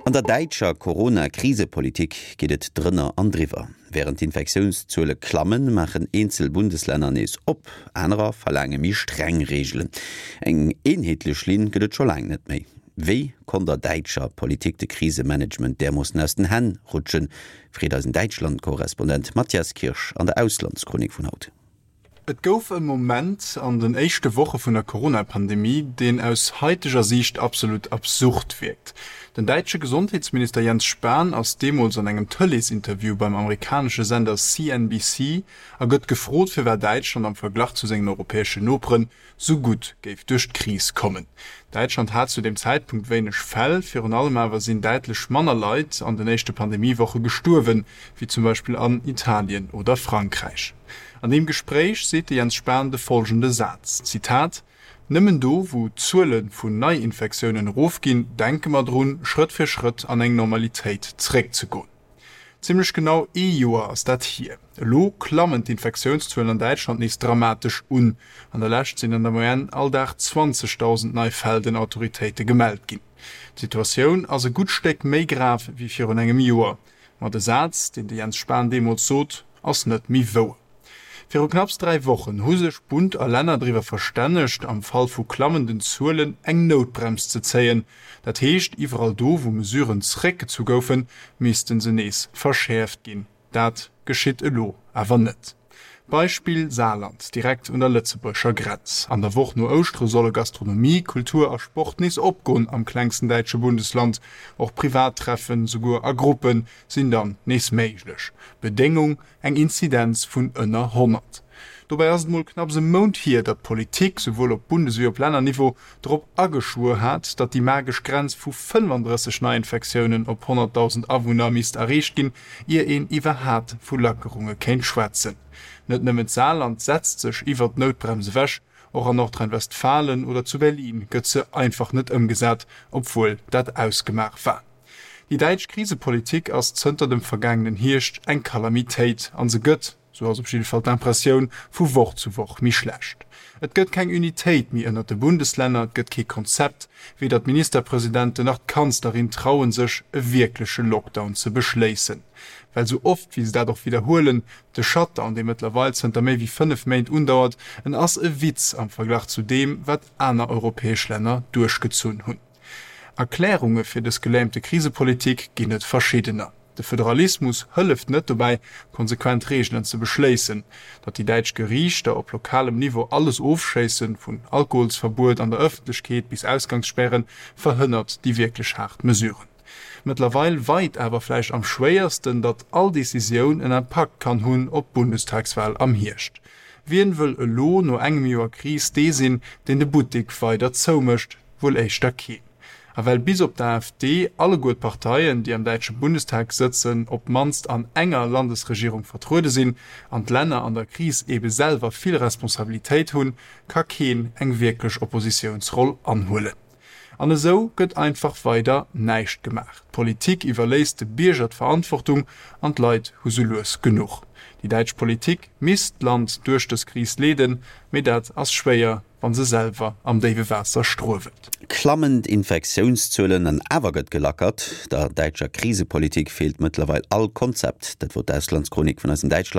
An der däitscher Corona-Krisepolitik geet et drënner an driwwer. Wärend d'Infektiounszuele klammen, maachen eenzel Bundeslänner nees op, anerer verlaange méi streng Reegelen. Eng eenheetlech Linn gëtt et scho laang net méi. Wéi konnt der däitscher Politik de Krisemanagement därmoossen aus den Hänn rutschen, freet eisen Däitschland-Korrespondent Matthias Kirsch an der Auslandschronik vun haut. Et gouf e Moment an den éischte Woche vun der Corona-Pandemie, deen aus haiteger Siicht absolut absurd wierkt. Den däitsche Gesondheetsminister Jens Spahn ass deemools an engem Tëleesinterview beim amerikanesche Sender CNBC a gëtt gefrot, firwat Däitschland am Verglach zu sengen europäeschen Noperen sou gutt géif duerch d'Kris kommen. Däitschland hat zu deem Zäitpunkt wéineg Fäll, virun allem awer sinn däitlech manner Leit an den éischte Pandemie-Woche gestuerwen, wéi zum Beispill an Italien oder Frankräich. An deem Gespréich seet de Jens Spahn de folgende Saz, Zitat, Nëmmen do, wou d'Zuele vun Neiinfektiounen erofginn, denke mer drun, Schrëtt fir Schrëtt an eng Normalitéit zeréckzegoen. Zimmlech genau ee Joer ass dat hier. Elo klammen d'Infektiounszuelen an Däitschland nees dramatesch un. An der Lescht sinn an der Moyenne all Dag 20.000 nei Fäll den Autoritéite gemellt ginn. D'Situatioun ass e gutt Stéck méi grav wéi virun engem Joer. Ma de Saz, deen de Jens Spahn deemools sot, ass net méi wouer. Viru knapps 3 Wochen hu sech Bund a Länner driwwer verstännegt, am Fall vu klammenden Zuelen eng Noutbrems ze zéien. Dat heescht, iwwerall do, wou Mesuren zeréckgezu goufen, misste se nees verschäerft ginn. Dat geschitt elo awer net. Beispill Saarland, direkt un der lëtzebuergescher Grenz. An der Woch no Ouschtere solle Gastronomie, Kultur a Sport nees opgoen am klengsten däitsche Bundesland. Och Privattreffen, souguer a Gruppen, sinn dann nees méiglech. Bedéngung, Eng Inzidenz vun ënner 100. Dobäi ass et mol knapps e Mount hier, datt d'Politik, souwuel op Bundes ewéi op Lännerniveau, drop ageschwuer hat, datt déi magesch Grenz vu 35 Neiinfektiounen op 100.000 Awunner misst erreecht ginn, ier een iwwerhaapt vu Lackerunge kéint schwätzen. Net nëmmen d'Saarland setzt sech iwwert d'Noutbrems ewech, och an Nordrhein-Westfalen oder zu Berlin gëtt se einfach net ëmgesat, obwuel dat ausgemaach war. Déi däitsch Krisepolitik ass zënter dem vergaangenen Hierscht eng Kalamitéit an se gëtt, sou ass op jidde Fall d'Impressioun, vu Woch zu Woch méi schlecht. Et gëtt keng Unitéit méi ënnert de Bundeslänner, et gëtt kee Konzept, weder d'Ministerpresidenten nach d'Kanzlerin trauen sech, e wierkleche Lockdown ze beschléissen. Well sou oft wéi se dat och widderhuelen, de Shutdown, dee mëttlerweil zënter méi wéi 5 Méint undauert, en ass e Witz am Verglach zu deem, wat aner europäesch Länner duerchgezunn hunn. Erklärunge fir dës gelähmte Krisepolitik ginn et verschiddener. De Föderalismus hëlleft net dobäi, konsequent Reegelen ze beschléissen. Datt déi däitsch Geriichter op lokalem Niveau alles ofschéissen, vun Alkoholsverbuet an der Ëffentlechkeet bis Ausgangsspären, verhënnert déi wierklech haart Mesuren. Mëttlerweil weit awer vläicht am schwéiersten, datt all Decisioun en Impakt kann hunn op d'Bundestagswal am Hierscht. Wien wëll elo no engem Joer Kris dee sinn, deen de Buttek weider zoumécht? Wuel éischter keen. A well bis op d'AfD alleguer d'Parteien, déi am däitsche Bundestag sëtzen, op d'mannst an enger Landesregierung vertruede sinn, an d'Länner an der Kris ebe selwer vill Responsabilitéit hunn, ka keen eng wierklech Oppositiounsroll anhuelen. An esou gëtt einfach weider näischt gemaach. D'Politik iwwerléisst de Bierger d'Verantwortung an d'Leit hu sou lues genuch. Déi däitsch Politik misst d'Land duerch dës Kris leeden, mee dat ass schwéier, wa se selwer am déiwe Waasser struewelt. Klammend Infektiounszuelen an awer gëtt gelackert. Der däitscher Krisepolitik feelt mëttlerweil all Konzept. Dat wor d'Auslandschronik vun eisem Däitschland.